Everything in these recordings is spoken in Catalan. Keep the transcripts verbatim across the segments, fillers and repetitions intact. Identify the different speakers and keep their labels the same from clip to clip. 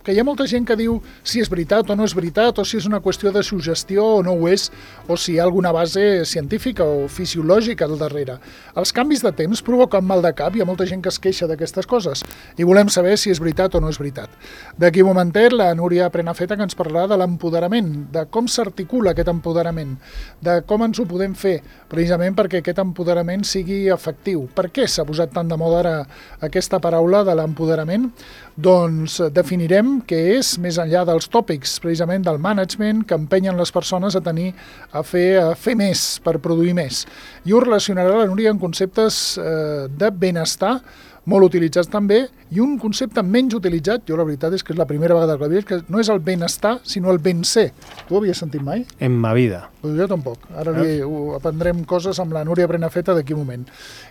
Speaker 1: que hi ha molta gent que diu si és veritat o no és veritat, o si és una qüestió de suggestió o no ho és, o si hi ha alguna base científica o fisiològica al darrere. Els canvis de temps provoquen mal de cap, hi ha molta gent que es queixa d'aquestes coses, i volem saber si és veritat o no és veritat. D'aquí un momentet, la Núria Prenafeta, que ens parlarà de l'empoderament, de com s'articula aquest empoderament, de com ens ho podem fer, precisament perquè aquest empoderament sigui efectiu. Per què s'ha posat tant de moda ara aquesta paraula de l'empoderament? Doncs definirem què és, més enllà dels tòpics, precisament del management, que empenyen les persones a tenir, a fer, a fer més, per produir més. I ho relacionarà la Núria en conceptes eh, de benestar, molt utilitzats també, i un concepte menys utilitzat, jo la veritat és que és la primera vegada que la veig, que no és el benestar, sinó el ben ser. Tu ho havies sentit mai?
Speaker 2: En ma vida.
Speaker 1: Pues jo tampoc. Ara li aprendrem coses amb la Núria Prenafeta d'aquí un moment.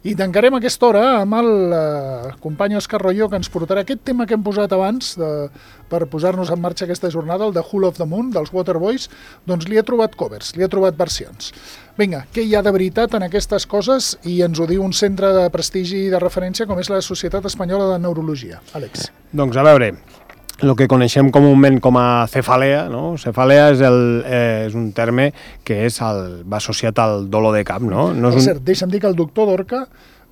Speaker 1: I tancarem aquesta hora amb el eh, company Òscar Royo, que ens portarà aquest tema que hem posat abans de, per posar-nos en marxa aquesta jornada, el de Whole of the Moon, dels Waterboys, doncs li ha trobat covers, li ha trobat versions. Vinga, què hi ha de veritat en aquestes coses? I ens ho diu un centre de prestigi i de referència com és la Societat Espanyola de Neurologia. Àlex.
Speaker 2: Doncs a veure, el que coneixem comúment com a cefalea, no? Cefalea és, el, eh, és un terme que és el, va associat al dolor de cap, no? no és
Speaker 1: per
Speaker 2: un...
Speaker 1: cert, deixa'm dir que el doctor Dorca,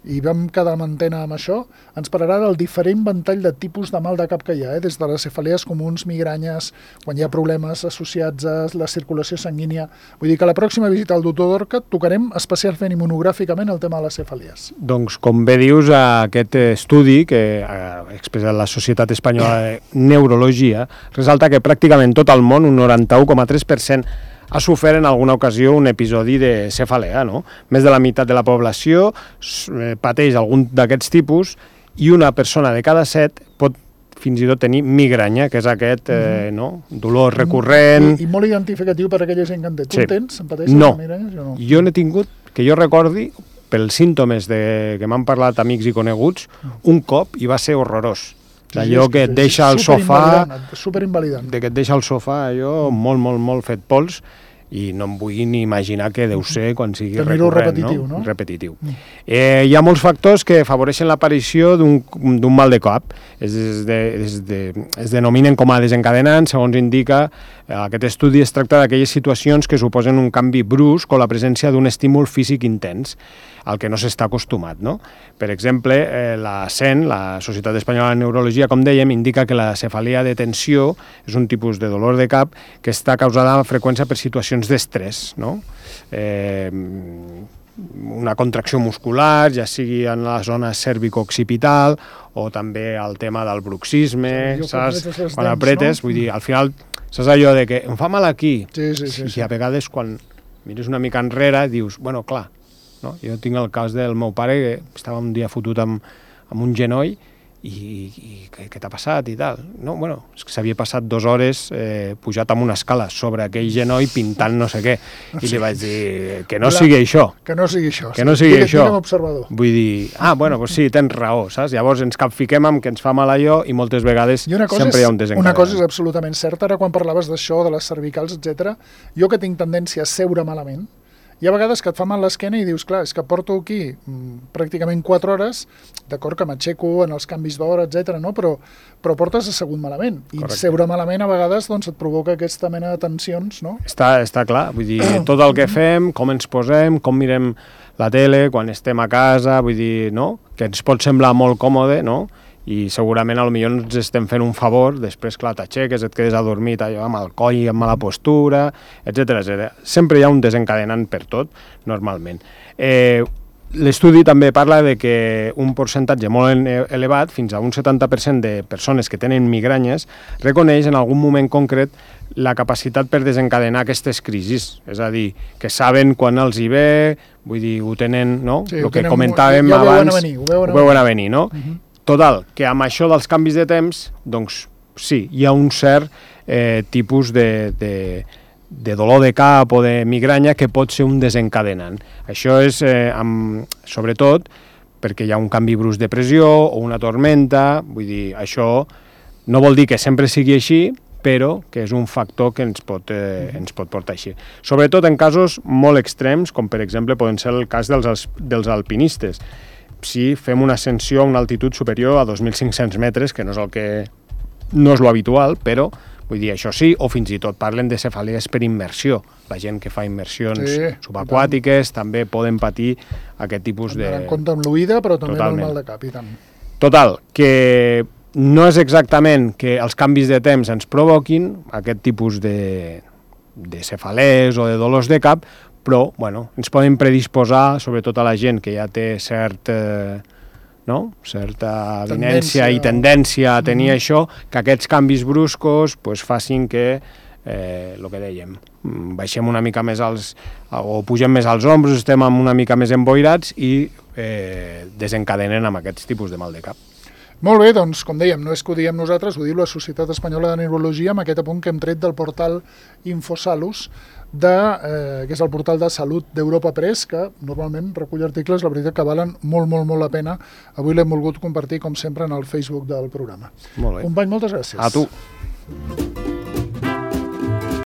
Speaker 1: i vam quedar en antena amb això, ens parlarà del diferent ventall de tipus de mal de cap que hi ha, eh? Des de les cefalees comuns, migranyes, quan hi ha problemes associats a la circulació sanguínia. Vull dir que a la pròxima visita al doctor Dorca tocarem especialment i monogràficament el tema de les cefalees.
Speaker 2: Doncs, com bé dius, aquest estudi que ha expressat la Societat Espanyola de Neurologia resalta que pràcticament tot el món, un noranta-u coma tres per cent, ha sofert en alguna ocasió un episodi de cefalea, no? Més de la meitat de la població pateix algun d'aquests tipus i una persona de cada set pot fins i tot tenir migranya, que és aquest eh, no? dolor recurrent.
Speaker 1: I, I molt identificatiu per a aquella gent que en té. Tu
Speaker 2: sí.
Speaker 1: en tens? En pateixes
Speaker 2: no.
Speaker 1: de migranya? Jo no.
Speaker 2: Jo n'he tingut, que jo recordi, pels símptomes de, que m'han parlat amics i coneguts, un cop i va ser horrorós. Allò que et deixa al sofà,
Speaker 1: superinvalidant.
Speaker 2: de que et deixa al sofà allò molt, molt, molt fet pols, i no em vull ni imaginar què deu ser quan sigui recurrent,
Speaker 1: repetitiu,
Speaker 2: no?
Speaker 1: no?
Speaker 2: Repetitiu. Mm. Eh, hi ha molts factors que afavoreixen l'aparició d'un mal de cap. Es, es, de, es, de, es denominen com a desencadenants, segons indica eh, aquest estudi. Es tracta d'aquelles situacions que suposen un canvi brusc o la presència d'un estímul físic intens, al que no s'està acostumat, no? Per exemple, eh, la S E N, la Societat Espanyola de Neurologia, com dèiem, indica que la cefalia de tensió és un tipus de dolor de cap que està causada amb freqüència per situacions d'estrès, no? Eh, una contracció muscular, ja sigui en la zona cervico-occipital o també el tema del bruxisme, sí, saps? Quan apretes, no? Vull dir, al final, saps allò de que em fa mal aquí?
Speaker 1: Sí, sí, sí.
Speaker 2: I sí. A vegades, quan mires una mica enrere, dius, bueno, clar, no? Jo tinc el cas del meu pare, que estava un dia fotut amb, amb un genoll i, i què, què t'ha passat i tal? No, bueno, és que s'havia passat dues hores eh, pujat amb una escala sobre aquell genoll pintant no sé què. I sí. Li vaig dir que no La, sigui això.
Speaker 1: Que no sigui això.
Speaker 2: Que no sigui
Speaker 1: Digue,
Speaker 2: això.
Speaker 1: Observador.
Speaker 2: Vull dir, ah, bueno, pues sí, tens raó, saps? Llavors ens capfiquem amb que ens fa mal allò i moltes vegades sempre
Speaker 1: és,
Speaker 2: hi ha un desencadenant.
Speaker 1: Una cosa és absolutament certa, ara quan parlaves d'això, de les cervicals, etcètera, jo que tinc tendència a seure malament, hi ha vegades que et fa mal l'esquena i dius, clar, és que porto aquí mm, pràcticament quatre hores, d'acord que m'aixeco en els canvis d'hora, etcètera, no? però, però portes assegut malament. I Correcte. Seure malament a vegades doncs, et provoca aquesta mena de tensions, no?
Speaker 2: Està, està clar, vull dir, tot el que fem, com ens posem, com mirem la tele, quan estem a casa, vull dir, no? Que ens pot semblar molt còmode, no? I segurament potser ens estem fent un favor, després, clar, t'aixeques, et quedes adormit allò, amb el coll, amb mala postura, etcètera, etcètera. Sempre hi ha un desencadenant per tot, normalment. Eh, L'estudi també parla de que un percentatge molt elevat, fins a un setanta per cent de persones que tenen migranyes, reconeix en algun moment concret la capacitat per desencadenar aquestes crisis. És a dir, que saben quan els hi ve, vull dir, ho tenen, no?
Speaker 1: Sí,
Speaker 2: el que
Speaker 1: tenen,
Speaker 2: comentàvem
Speaker 1: ja
Speaker 2: abans,
Speaker 1: ho veuen a venir, ho veuen a
Speaker 2: ho veuen a venir, no?
Speaker 1: Uh -huh.
Speaker 2: Total, que amb això dels canvis de temps, doncs sí, hi ha un cert eh, tipus de, de, de dolor de cap o de migranya que pot ser un desencadenant. Això és, eh, amb, sobretot, perquè hi ha un canvi brusc de pressió o una tormenta, vull dir, això no vol dir que sempre sigui així, però que és un factor que ens pot, eh, ens pot portar així. Sobretot en casos molt extrems, com per exemple poden ser el cas dels, dels alpinistes. Si fem una ascensió a una altitud superior a dos mil cinc-cents metres, que no és el que no és lo habitual, però vull dir, això sí, o fins i tot parlen de cefalees per immersió. La gent que fa immersions sí, subaquàtiques també poden patir aquest tipus de...
Speaker 1: En compte amb l'oïda, però també amb el mal de cap, i tant.
Speaker 2: Total, que no és exactament que els canvis de temps ens provoquin aquest tipus de, de cefalees o de dolors de cap, però bueno, ens poden predisposar, sobretot a la gent que ja té cert... Eh, no? certa avinència i tendència a tenir mm-hmm. això, que aquests canvis bruscos pues, facin que, eh, el que dèiem, baixem una mica més als, o pugem més als ombros, estem una mica més emboirats i eh, desencadenen amb aquests tipus de mal de cap.
Speaker 1: Molt bé, doncs, com dèiem, no és que ho diem nosaltres, ho diu la Societat Espanyola de Neurologia amb aquest apunt que hem tret del portal Infosalus, de, eh, que és el portal de salut d'Europa Press, que normalment recull articles, la veritat que valen molt, molt, molt la pena. Avui l'hem volgut compartir, com sempre, en el Facebook del programa.
Speaker 2: Molt bé.
Speaker 1: Company, moltes gràcies.
Speaker 2: A tu.